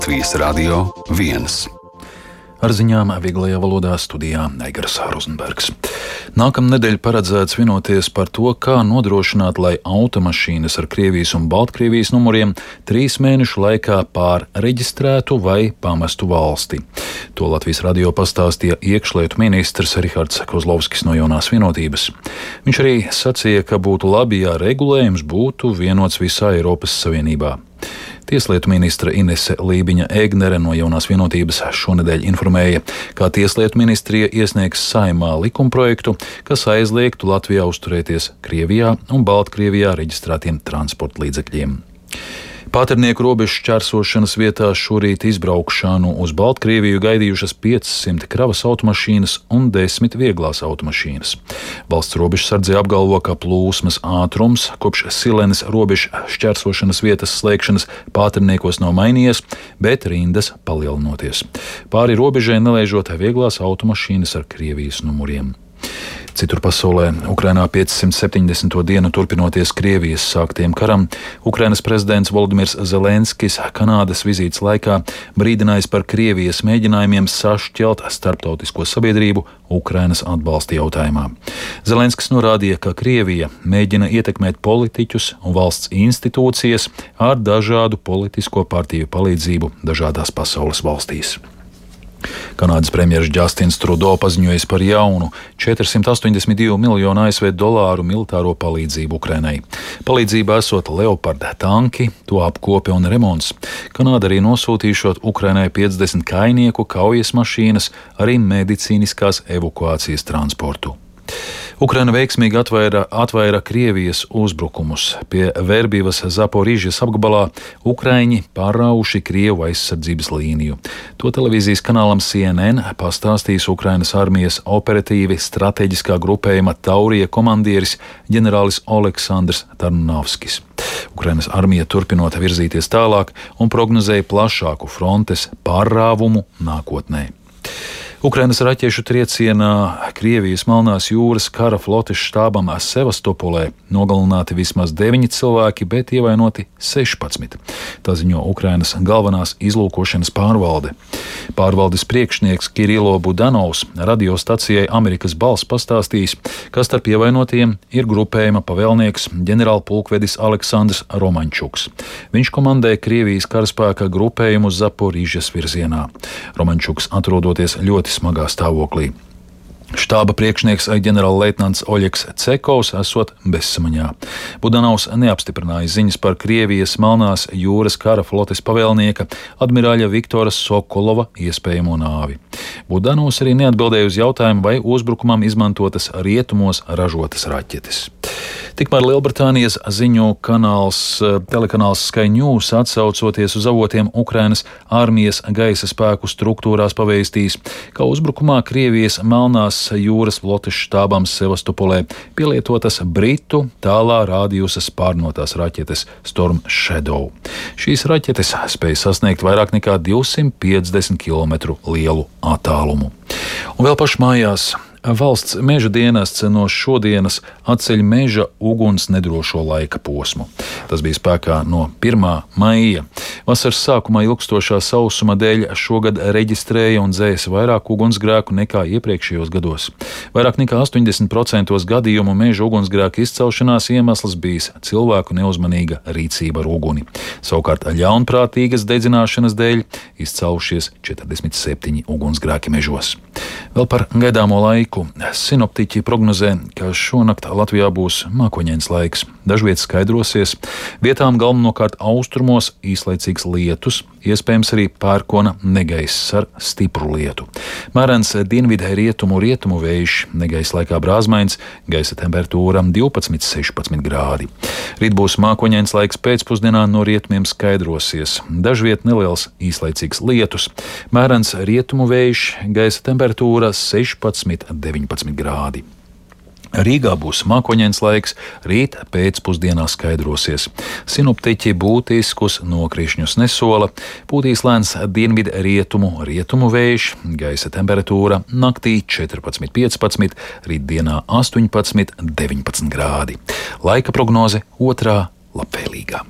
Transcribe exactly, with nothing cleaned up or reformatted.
Latvijas Radio viens. Ar ziņām vieglajā valodā studijā Eigars Rozenbergs. Nākamnedēļ paredzēts vienoties par to, kā nodrošināt, lai automašīnas ar Krievijas un Baltkrievijas numuriem trīs mēnešu laikā pārreģistrētu vai pamestu valsti. To Latvijas radio pastāstīja iekšlietu ministrs Rihards Kozlovskis no Jaunās Vienotības. Viņš arī sacīja, ka būtu labi, ja regulējums būtu vienots visā Eiropas Savienībā. Tieslietu ministra Inese Lībiņa-Egnere no Jaunās Vienotības šonedēļ informēja, ka Tieslietu ministrija iesniegs Saeimā likumprojektu, kas aizliegtu Latvijā uzturēties Krievijā un Baltkrievijā reģistrētiem transporta līdzekļiem. Pāternieku robežu šķērsošanas vietā šorīt izbraukšanu uz Baltkrieviju gaidījušas piecsimt kravas automašīnas un desmit vieglās automašīnas. Valsts robežsardze apgalvo, ka plūsmas ātrums kopš Silenes robežu šķērsošanas vietas slēgšanas Pāterniekos nav mainījies, bet rindas palielinoties. Pāri robežai nelaižot vieglās automašīnas ar Krievijas numuriem. Citur pasaulē, Ukrainā piecsimt septiņdesmito dienu turpinoties Krievijas sāktiem karam, Ukrainas prezidents Volodimirs Zelenskis Kanādas vizītes laikā brīdinājis par Krievijas mēģinājumiem sašķelt starptautisko sabiedrību Ukrainas atbalsta jautājumā. Zelenskis norādīja, ka Krievija mēģina ietekmēt politiķus un valsts institūcijas ar dažādu politisko partiju palīdzību dažādās pasaules valstīs. Kanādas premjeras Džastins Trudo paziņojis par jaunu četrsimt astoņdesmit divu miljonu A S V dolāru militāro palīdzību Ukrainai. Palīdzībā esot Leopard tanki, to apkope un remonts. Kanāda arī nosūtīšot Ukrainai piecdesmit kainieku kaujas mašīnas, arī medicīniskās evakuācijas transportu. Ukraina veiksmīgi atvaira, atvaira Krievijas uzbrukumus. Pie Verbivas Zaporižas apgabalā Ukraiņi pārrauši Krievu aizsardzības līniju. To televīzijas kanālam C N N pastāstīs Ukrainas armijas operatīvi strateģiskā grupējuma Taurija komandieris ģenerālis Oleksandrs Tarnovskis. Ukrainas armija turpinot virzīties tālāk un prognozēja plašāku frontes pārrāvumu nākotnē. Ukrainas raķešu triecienā Krievijas Melnās jūras kara flotes štābam Sevastopolē nogalināti vismaz deviņi cilvēki, bet ievainoti sešpadsmit. Tā ziņo Ukrainas galvenās izlūkošanas pārvalde. Pārvaldes priekšnieks Kirilo Budanovs radiostacijai Amerikas balss pastāstījis, ka starp ievainotiem ir grupējuma pavēlnieks ģenerālpulkvedis Aleksandrs Romančuks. Viņš komandē Krievijas karaspēka grupējumu Zaporižas virzienā. Romančuks atrodoties ļoti smagā stāvoklī. Štāba priekšnieks ģenerālleitnants Oļeks Cekovs esot bezsamaņā. Budanovs neapstiprināja ziņas par Krievijas Melnās jūras kara flotes pavēlnieka admirāļa Viktora Sokolova iespējamo nāvi. Budanovs arī neatbildēja uz jautājumu, vai uzbrukumam izmantotas rietumos ražotas raķetes. Tikmēr Lielbritānijas ziņu kanāls, telekanāls Sky News atsaucoties uz avotiem Ukrainas armijas gaisa spēku struktūrās pavēstījis, ka uzbrukumā Krievijas Melnās jūras flotes štābam Sevastopolē pielietotas Britu tālā rādījusas pārnotās raķetes Storm Shadow. Šīs raķetes spēja sasniegt vairāk nekā divsimt piecdesmit kilometru lielu attālumu. Un vēl pašmājās. Valsts meža dienests no šodienas atceļ meža uguns nedrošo laika posmu. Tas bija spēkā no pirmā maija. Vasaras sākumā ilgstošā sausuma dēļ šogad reģistrēja un dzēsa vairāk ugunsgrēku nekā iepriekšējos gados. Vairāk nekā astoņdesmit procenti gadījumu meža ugunsgrēku izcelšanās iemesls bijis cilvēku neuzmanīga rīcība ar uguni. Savukārt ļaunprātīgas dedzināšanas dēļ izcēlušies četrdesmit septiņi ugunsgrēki mežos. Vēl par gaidāmo laiku. Sinoptiķi prognozē, ka šonakt Latvijā būs mākoņains laiks. Dažviet skaidrosies, vietām galvenokārt austrumos īslaicīgs lietus, iespējams arī pērkona negaiss ar stipru lietu. Mērens dienvidē rietumu rietumu vējš, negaiss laikā brāzmains, gaisa temperatūra divpadsmit līdz sešpadsmit grādi. Rīt būs mākoņains laiks pēcpusdienā, no rietumiem skaidrosies. Dažviet neliels īslaicīgs lietus, mērens rietumu vējš, gaisa temperatūra sešpadsmit līdz deviņpadsmit grādi. Rīgā būs mākoņains laiks, rīt pēcpusdienā skaidrosies. Sinoptiķi būtiskus nokrišņus nesola, pūtīs lēns dienvidu rietumu, rietumu vējš, gaisa temperatūra naktī četrpadsmit līdz piecpadsmit, rītdienā astoņpadsmit līdz deviņpadsmit grādi. Laika prognoze otrā labvēlīgā.